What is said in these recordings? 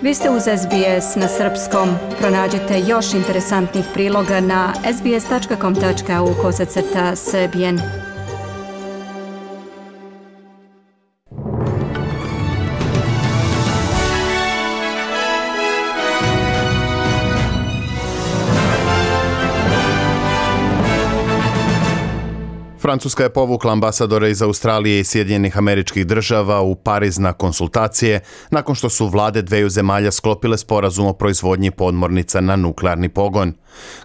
Vi ste uz SBS na srpskom. Pronađite još interesantnih priloga na sbs.com.au/srbijen. Francuska je povukla ambasadora iz Australije i Sjedinjenih Američkih Država u Pariz na konsultacije nakon što su vlade dveju zemalja sklopile sporazum o proizvodnji podmornica na nuklearni pogon.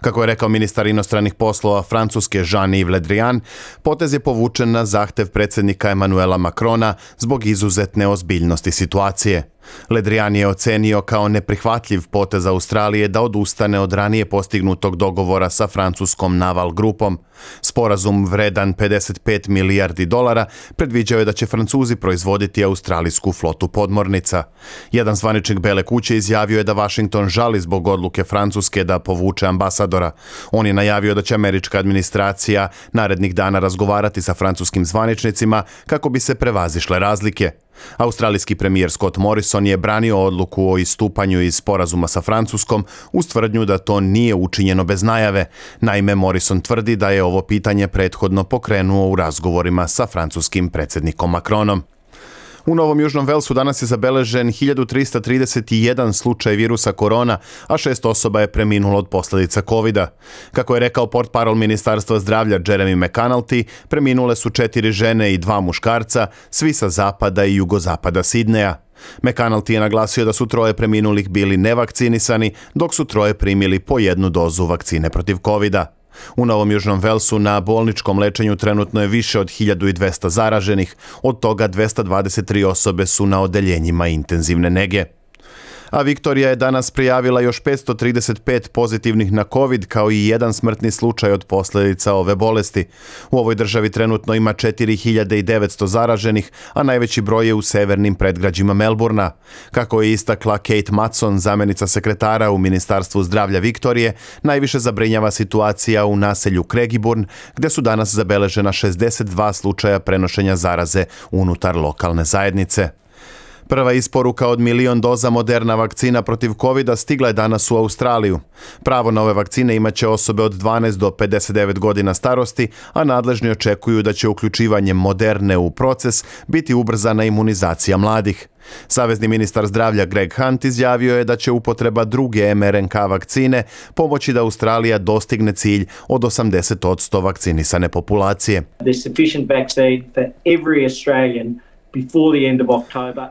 Kako je rekao ministar inostranih poslova Francuske Jean-Yves Le Drian, potez je povučen na zahtev predsjednika Emmanuela Macrona zbog izuzetne ozbiljnosti situacije. Le Drian je ocenio kao neprihvatljiv potez Australije da odustane od ranije postignutog dogovora sa francuskom Naval grupom. Sporazum vredan $55 milijardi predviđao je da će Francuzi proizvoditi australijsku flotu podmornica. Jedan zvaničnik Bele kuće izjavio je da Washington žali zbog odluke Francuske da povuče ambasadora. On je najavio da će američka administracija narednih dana razgovarati sa francuskim zvaničnicima kako bi se prevazišle razlike. Australijski premijer Scott Morrison je branio odluku o istupanju iz sporazuma sa Francuskom uz tvrdnju da to nije učinjeno bez najave. Naime, Morrison tvrdi da je ovo pitanje prethodno pokrenuo u razgovorima sa francuskim predsjednikom Macronom. U Novom Južnom Velsu danas je zabeležen 1331 slučaj virusa korona, a 6 osoba je preminulo od posljedica covida. Kako je rekao portparol Ministarstva zdravlja Jeremy McAnulty, preminule su 4 žene i 2 muškarca, svi sa zapada i jugozapada Sidneja. McAnulty je naglasio da su 3 preminulih bili nevakcinisani, dok su 3 primili po 1 dozu vakcine protiv covida. U Novom Južnom Velsu na bolničkom lečenju trenutno je više od 1200 zaraženih, od toga 223 osobe su na odeljenjima intenzivne nege. A Viktorija je danas prijavila još 535 pozitivnih na COVID kao i 1 smrtni slučaj od posljedica ove bolesti. U ovoj državi trenutno ima 4900 zaraženih, a najveći broj je u severnim predgrađima Melbourna. Kako je istakla Kate Matson, zamjenica sekretara u Ministarstvu zdravlja Viktorije, najviše zabrinjava situacija u naselju Craigieburn, gdje su danas zabeležena 62 slučaja prenošenja zaraze unutar lokalne zajednice. Prva isporuka od 1 milion doza Moderna vakcina protiv covida stigla je danas u Australiju. Pravo na ove vakcine imat će osobe od 12 do 59 godina starosti, a nadležni očekuju da će uključivanjem Moderne u proces biti ubrzana imunizacija mladih. Savezni ministar zdravlja Greg Hunt izjavio je da će upotreba druge mRNK vakcine pomoći da Australija dostigne cilj od 80% vakcinisane populacije.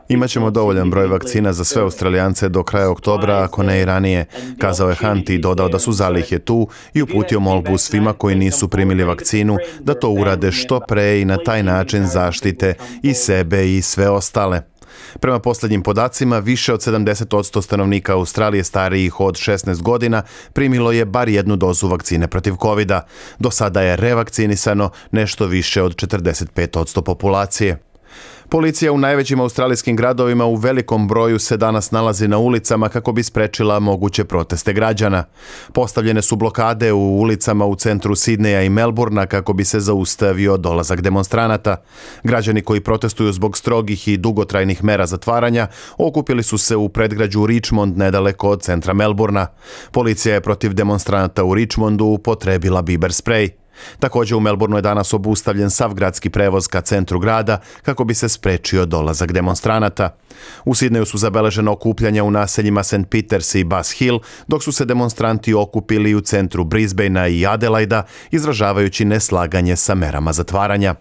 Imaćemo dovoljan broj vakcina za sve Australijance do kraja oktobra, ako ne i ranije, kazao je Hunt i dodao da su zalihe tu i uputio molbu svima koji nisu primili vakcinu da to urade što pre i na taj način zaštite i sebe i sve ostale. Prema posljednjim podacima, više od 70% stanovnika Australije starijih od 16 godina primilo je bar 1 dozu vakcine protiv covida. Do sada je revakcinisano nešto više od 45% populacije. Policija u najvećim australijskim gradovima u velikom broju se danas nalazi na ulicama kako bi sprečila moguće proteste građana. Postavljene su blokade u ulicama u centru Sidneja i Melbourna kako bi se zaustavio dolazak demonstranata. Građani koji protestuju zbog strogih i dugotrajnih mera zatvaranja okupili su se u predgrađu Richmond nedaleko od centra Melbourna. Policija je protiv demonstranata u Richmondu upotrebila biber sprej. Također u Melbourneu je danas obustavljen sav gradski prevoz ka centru grada kako bi se sprečio dolazak demonstranata. U Sidneju su zabeležena okupljanja u naseljima St. Peters i Bass Hill, dok su se demonstranti okupili u centru Brisbanea i Adelaida, izražavajući neslaganje sa merama zatvaranja.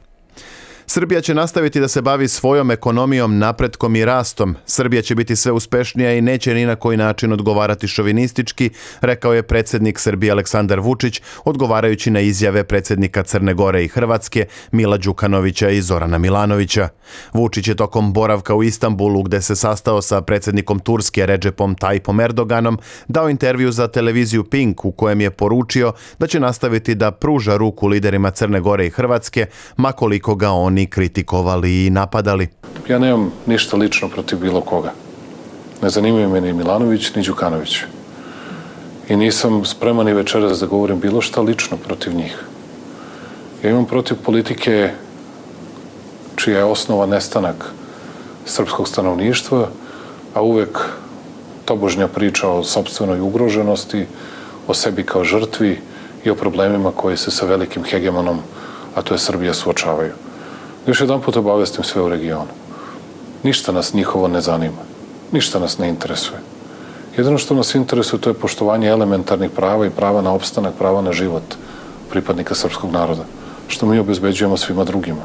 Srbija će nastaviti da se bavi svojom ekonomijom, napretkom i rastom. Srbija će biti sve uspješnija i neće ni na koji način odgovarati šovinistički, rekao je predsjednik Srbije Aleksandar Vučić, odgovarajući na izjave predsjednika Crne Gore i Hrvatske Mila Đukanovića i Zorana Milanovića. Vučić je tokom boravka u Istanbulu, gdje se sastao sa predsjednikom Turske Recepom Tayyipom Erdoganom, dao intervju za televiziju Pink u kojem je poručio da će nastaviti da pruža ruku liderima Crne Gore i Hrvatske, ma koliko ga oni kritikovali i napadali. Ja nemam ništa lično protiv bilo koga. Ne zanimaju me ni Milanović, ni Đukanović. I nisam spreman i večeras da govorim bilo šta lično protiv njih. Ja imam protiv politike čija je osnova nestanak srpskog stanovništva, a uvek tobožnja priča o sopstvenoj ugroženosti, o sebi kao žrtvi i o problemima koji se sa velikim hegemonom, a to je Srbija, suočavaju. Još jedan put obavestim sve u regionu. Ništa nas njihovo ne zanima. Ništa nas ne interesuje. Jedino što nas interesuje to je poštovanje elementarnih prava i prava na opstanak, prava na život pripadnika srpskog naroda, što mi obezbeđujemo svima drugima.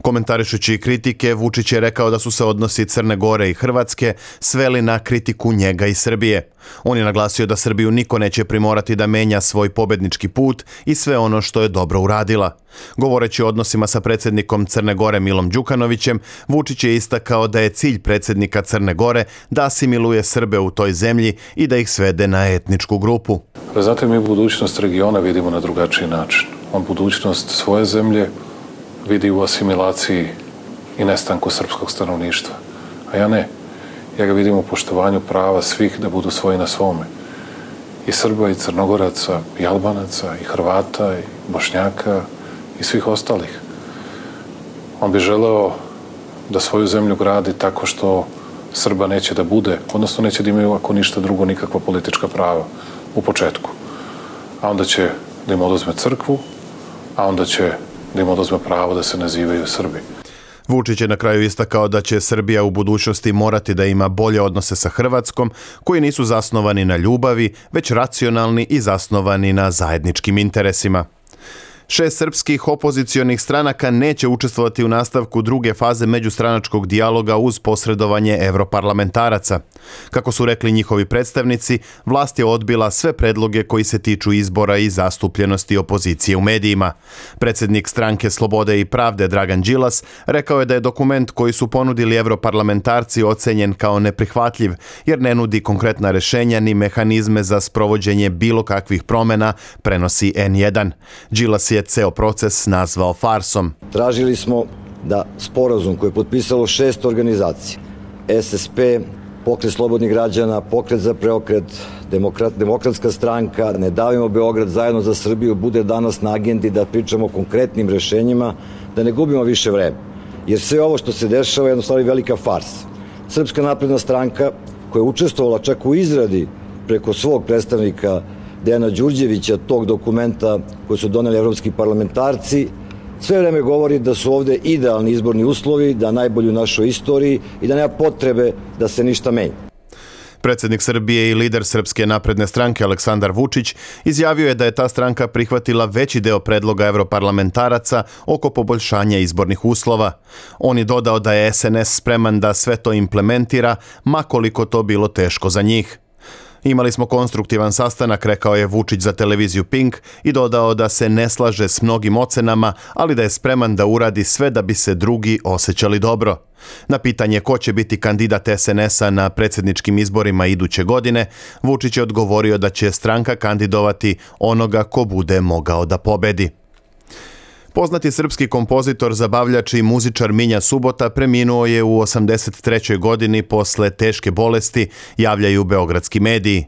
Komentarišući kritike, Vučić je rekao da su se odnosi Crne Gore i Hrvatske sveli na kritiku njega i Srbije. On je naglasio da Srbiju niko neće primorati da menja svoj pobednički put i sve ono što je dobro uradila. Govoreći o odnosima sa predsjednikom Crne Gore Milom Đukanovićem, Vučić je istakao da je cilj predsjednika Crne Gore da asimiluje Srbe u toj zemlji i da ih svede na etničku grupu. Znate, mi budućnost regiona vidimo na drugačiji način. On budućnost svoje zemlje vidi u asimilaciji i nestanku srpskog stanovništva. A ja ne. Ja ga vidim u poštovanju prava svih da budu svoji na svome. I Srba, i Crnogoraca, i Albanaca, i Hrvata, i Bošnjaka, i svih ostalih. On bi želeo da svoju zemlju gradi tako što Srba neće da bude, odnosno neće da imaju ako ništa drugo nikakva politička prava u početku. A onda će da im oduzme crkvu, a onda će da im oduzme pravo da se nazivaju Srbi. Vučić je na kraju istakao da će Srbija u budućnosti morati da ima bolje odnose sa Hrvatskom, koji nisu zasnovani na ljubavi, već racionalni i zasnovani na zajedničkim interesima. 6 srpskih opozicionih stranaka neće učestvovati u nastavku druge faze međustranačkog dijaloga uz posredovanje evroparlamentaraca. Kako su rekli njihovi predstavnici, vlast je odbila sve predloge koji se tiču izbora i zastupljenosti opozicije u medijima. Predsjednik stranke Slobode i pravde Dragan Đilas rekao je da je dokument koji su ponudili evroparlamentarci ocenjen kao neprihvatljiv, jer ne nudi konkretna rešenja ni mehanizme za sprovođenje bilo kakvih promjena, prenosi N1. Đilas je ceo proces nazvao farsom. Tražili smo da sporazum koji je potpisalo 6 organizacija, SSP, Pokret slobodnih građana, Pokret za preokret, Demokratska stranka, Ne davimo Beograd, Zajedno za Srbiju, bude danas na agendi da pričamo o konkretnim rešenjima, da ne gubimo više vreme. Jer sve ovo što se dešava je jednostavno velika farsa. Srpska napredna stranka, koja je učestvovala čak u izradi preko svog predstavnika Dejana Đurđevića tog dokumenta koji su doneli evropski parlamentarci, sve vreme govori da su ovde idealni izborni uslovi, da najbolji u našoj istoriji i da nema potrebe da se ništa menja. Predsjednik Srbije i lider Srpske napredne stranke Aleksandar Vučić izjavio je da je ta stranka prihvatila veći deo predloga evroparlamentaraca oko poboljšanja izbornih uslova. On je dodao da je SNS spreman da sve to implementira, ma koliko to bilo teško za njih. Imali smo konstruktivan sastanak, rekao je Vučić za televiziju Pink i dodao da se ne slaže s mnogim ocenama, ali da je spreman da uradi sve da bi se drugi osjećali dobro. Na pitanje ko će biti kandidat SNS-a na predsjedničkim izborima iduće godine, Vučić je odgovorio da će stranka kandidovati onoga ko bude mogao da pobedi. Poznati srpski kompozitor, zabavljač i muzičar Minja Subota preminuo je u 83. godini posle teške bolesti, javljaju beogradski mediji.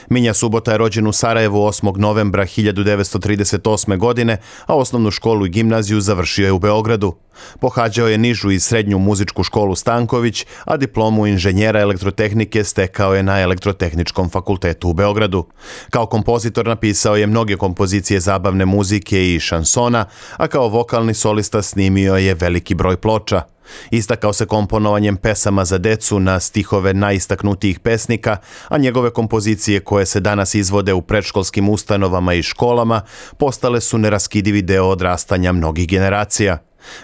Minja Subota je rođen u Sarajevu 8. novembra 1938. godine, a osnovnu školu i gimnaziju završio je u Beogradu. Pohađao je nižu i srednju muzičku školu Stanković, a diplomu inženjera elektrotehnike stekao je na Elektrotehničkom fakultetu u Beogradu. Kao kompozitor napisao je mnoge kompozicije zabavne muzike i šansona, a kao vokalni solista snimio je veliki broj ploča. Istakao se komponovanjem pesama za decu na stihove najistaknutijih pesnika, a njegove kompozicije koje se danas izvode u predškolskim ustanovama i školama postale su neraskidivi deo odrastanja mnogih generacija.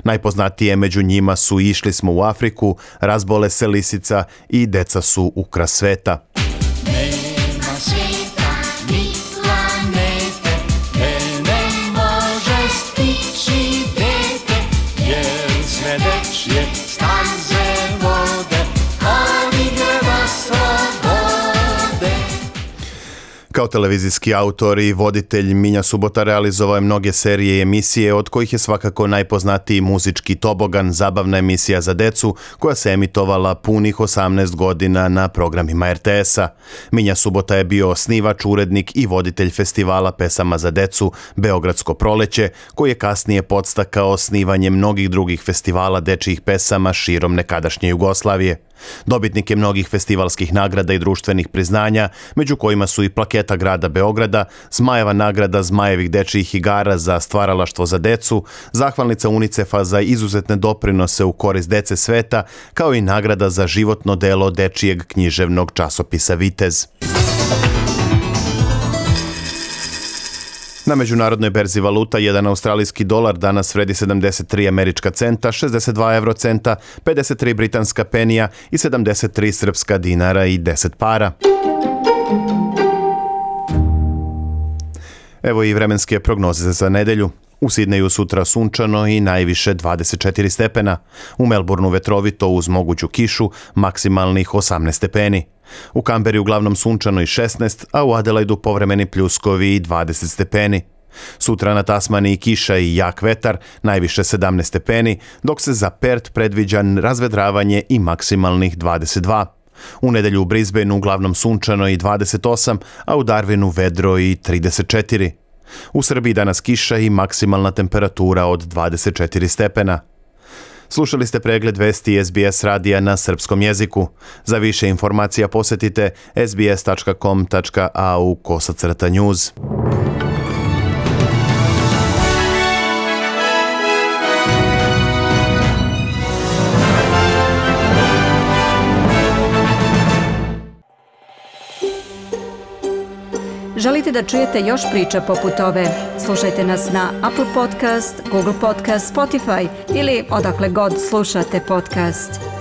Najpoznatije među njima su Išli smo u Afriku, Razbole se lisica i Deca su ukras sveta. Nema svijeta, ni planete, ne može stići dete, jer sve dečje staze vode, ali greba slobode. Kao televizijski autor i voditelj Minja Subota realizovao je mnoge serije i emisije, od kojih je svakako najpoznatiji Muzički tobogan, zabavna emisija za decu koja se emitovala punih 18 godina na programima RTS-a. Minja Subota je bio osnivač, urednik i voditelj festivala pesama za decu Beogradsko proleće, koji je kasnije podstakao osnivanje mnogih drugih festivala dečijih pesama širom nekadašnje Jugoslavije. Dobitnik je mnogih festivalskih nagrada i društvenih priznanja, među kojima su i plaketa grada Beograda, Zmajeva nagrada Zmajevih dečijih igara za stvaralaštvo za decu, zahvalnica UNICEF-a za izuzetne doprinose u korist dece sveta, kao i nagrada za životno delo dečijeg književnog časopisa Vitez. Na međunarodnoj berzi valuta jedan australijski dolar danas vredi 73 američka centa, 62 eurocenta, 53 britanska penija i 73 srpska dinara i 10 para. Evo i vremenske prognoze za nedelju. U Sidneju sutra sunčano i najviše 24 stepena. U Melbourneu vetrovito uz moguću kišu, maksimalnih 18 stepeni. U Kamberi uglavnom sunčano i 16, a u Adelaidu povremeni pljuskovi i 20 stepeni. Sutra na Tasmaniji kiša i jak vetar, najviše 17 stepeni, dok se za Perth predviđa razvedravanje i maksimalnih 22. U nedelju u Brisbaneu uglavnom sunčano i 28, a u Darwinu vedro i 34. U Srbiji danas kiša i maksimalna temperatura od 24 stepena. Slušali ste pregled vesti SBS radija na srpskom jeziku. Za više informacija posjetite sbs.com.au/news. Želite da čujete još priča poput ove? Slušajte nas na Apple Podcast, Google Podcast, Spotify ili odakle god slušate podcast.